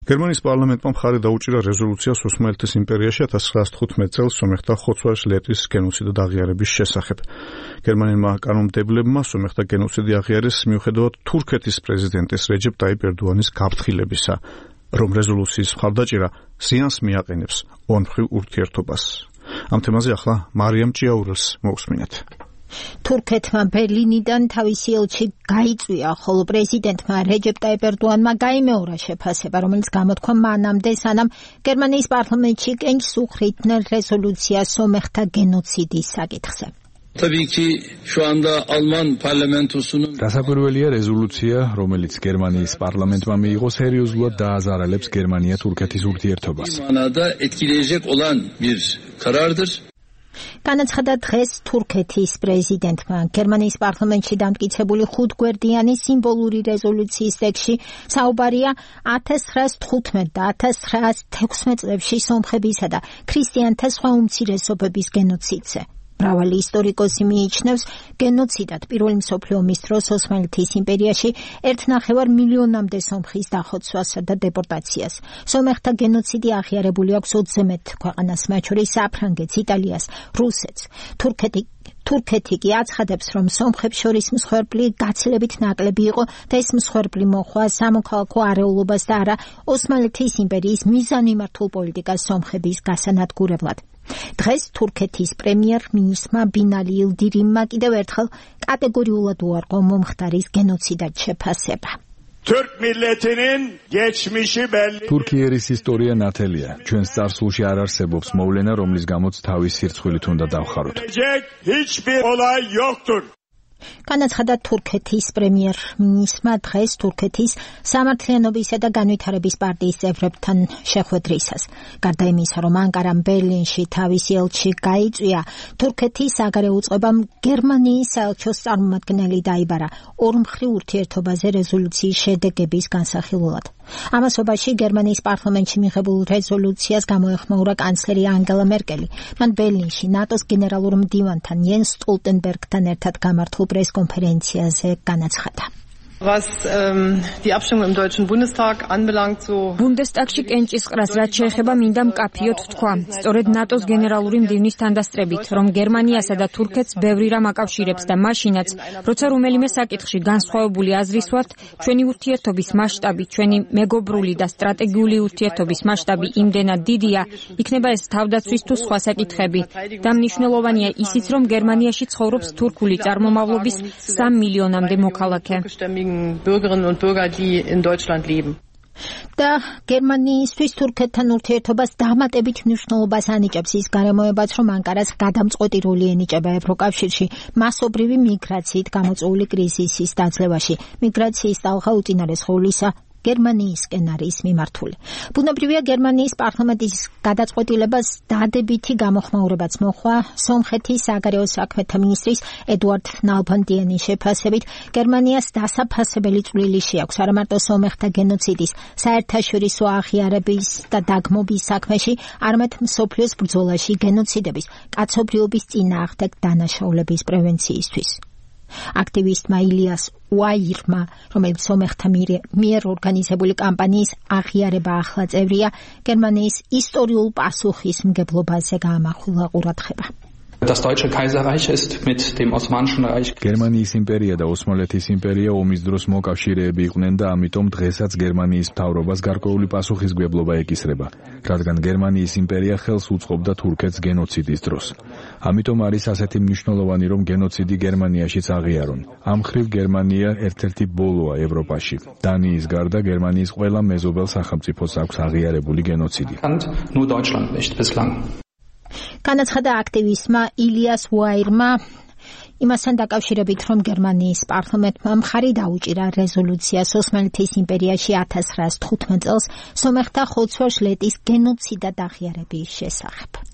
გერმანიის პარლამენტმა მხარი დაუჭირა რეზოლუციას ოსმალეთის იმპერიაში 1915 წელს სომეხთა ხოცვა-შლეტის გენოციდად აღიარების შესახებ. გერმანელმა კანონმდებლებმა სომეხთა გენოციდი აღიარეს მიუხედავად თურქეთის პრეზიდენტის რეჯეპ ტაიპ ერდოანის გაფრთხილებისა, რომ რეზოლუციის მხარდაჭერა ზიანს მიაყენებს ორმხრივ ურთიერთობას. ამ თემაზე ახლა მარიამ ჭიაურელს მოусმინეთ. თურქეთმა ბერლინიდან თავისი ელჩი გაიწვია, ხოლო პრეზიდენტმა რეჯეპ ტაიპ ერდოანმა გაიმეორა შეფასება, რომელიც გამოთქვა მანამდე, სანამ გერმანიის პარლამენტში კენჭს უხრიდნენ რეზოლუციას სომეხთა გენოციდის საკითხზე. დასაკვირველია რეზოლუცია, რომელიც გერმანიის პარლამენტმა მიიღო, სერიოზულად დააზარალებს გერმანია-თურქეთის ურთიერთობას. განაცხადა დღეს თურქეთის პრეზიდენტმა. გერმანიის პარლამენტში დამტკიცებული 5-გვერდიანი სიმბოლური რეზოლუციის ტექსტში საუბარია 1915 და 1916 წლებში სომხებისა და ქრისტიანთა სხვა უმცირესობების გენოციდზე. მრავალი ისტორიკოსი მიიჩნევს გენოციდად პირველი მსოფლიო ომის დროს ოსმალეთის იმპერიაში 1,5 მილიონამდე სომხის დახოცვასა და დეპორტაციას. სომეხთა გენოციდი აღიარებული აქვს 20 ქვეყანას, მათ შორის საფრანგეთს, იტალიას, რუსეთს. თურქეთი კი აცხადებს, რომ სომხებს შორის მსხვერპლი გაცილებით ნაკლები იყო და ეს მსხვერპლი მოხდა სამოქალაქო არეულობას და არა ოსმალეთის იმპერიის მიზანმიმართულ პოლიტიკას სომხების გასანადგურებლად. დღეს თურქეთის პრემიერ-მინისტრმა ბინალი ილდირიმმა კიდევ ერთხელ კატეგორიულად უარყო მომხდარის გენოციდად შეფასება. თურქეთის ისტორია ნათელია. ჩვენს წარსულში არ არსებობს მოვლენა, რომლის გამოც თავის სირცხვილით უნდა დავხაროთ. განაცხადა თურქეთის პრემიერ-მინისტრმა დღეს თურქეთის სამართლიანობისა და განვითარების პარტიის წევრებთან შეხვედრისას. გარდა იმისა, რომ ანკარამ ბერლინში თავისი ელჩი გაიწვია, თურქეთის საგარეო უწყებამ გერმანიის საელჩოს წარმომადგენელი დაიბარა ორმხრივ ურთიერთობაზე რეზოლუციის შედეგების განსახილველად. ამასობაში გერმანიის პარლამენტში მიღებულ რეზოლუციას გამოეხმაურა კანცლერი ანგელა მერკელი. მან ბერლინში ნატოს გენერალურ მდივანთან იენს სტოლტენბერგთან ერთად გამართულ პრესკონფერენციაზე განაცხადა. ბუნდესტაგში კენჭისყრას რაც შეეხება მინდა მკაფიოდ ვთქვა. სწორედ ნატოს გენერალური მდივნის თანდასწრებით, რომ გერმანიასა და თურქეთს ბევრი რამ აკავშირებს და მაშინაც, როცა რომელიმე საკითხში განსხვავებული აზრის ვართ, ჩვენი ურთიერთობის მასშტაბი, ჩვენი მეგობრული და სტრატეგიული ურთიერთობის მასშტაბი იმდენად დიდია, იქნება ეს თავდაცვის თუ სხვა საკითხები. და მნიშვნელოვანია ისიც, რომ გერმანიაში ცხოვრობს თურქული წარმომავლობის 3 მილიონამდე მოქალაქე. Bürgerinnen und Bürger, die in Deutschland leben. და გერმანიისთვის თურქეთთან ურთიერთობას დამატებით მნიშვნელობას ანიჭებს ის გარემოებაც, რომ ანკარას გადამწყვეტი როლი ენიჭება ევროკავშირში მასობრივი მიგრაციით გამოწვეული კრიზისის დაძლევაში. მიგრაციის ტალღა უწინარესხეულისა გერმანიისკენ არის მიმართული. ბუნებრივია გერმანიის პარლამენტის გადაწყვეტილებას დადებითი გამოხმაურებაც მოხდა სომხეთის საგარეო საქმეთა მინისტრის ედუარდ ნალბანდიანის შეფასებით, გერმანიას დასაფასებელი წვლილი შეაქვს არა მარტო სომეხთა გენოციდის საერთაშორისო აღიარების და დაგმობის საქმეში, არამედ მსოფლიოს ბრძოლაში გენოციდების, კაცობრიობის წინააღმდეგ დანაშაულების პრევენციისთვის. აქტივისტმა ილიას უაირმა, რომელიც სომეხთა მიერ ორგანიზებული კამპანიის აღიარება ახლა წევრია, გერმანიის ისტორიულ პასუხისმგებლობაზე გაამახვილა ყურადღება. Das Deutsche Kaiserreich ist mit dem Osmanischen Reich. გერმანიის იმპერია და ოსმალეთის იმპერია ომის დროს მოკავშირეები იყვნენ და ამიტომ დღესაც გერმანიის მთავრობას გარკვეული პასუხისმგებლობა ეკისრება, რადგან გერმანიის იმპერია ხელს უწყობდა თურქეთს გენოციდის დროს. ამიტომ არის ასეთი მნიშვნელოვანი, რომ გენოციდი გერმანიაშიც აღიარონ. ამ მხრივ გერმანია ერთ-ერთი ბოლოა ევროპაში. დანიის გარდა გერმანიის ყველა მეზობელ სახელმწიფოს აქვს აღიარებული გენოციდი. Nur Deutschland nicht bislang. განაცხადა აქტივისტმა ილიას უაირმა იმასთან დაკავშირებით, რომ გერმანიის პარლამენტმა მხარი დაუჭირა რეზოლუციას ოსმალეთის იმპერიაში 1915 წელს სომეხთა ხოცვა-შლეტის გენოციდად აღიარების შესახებ.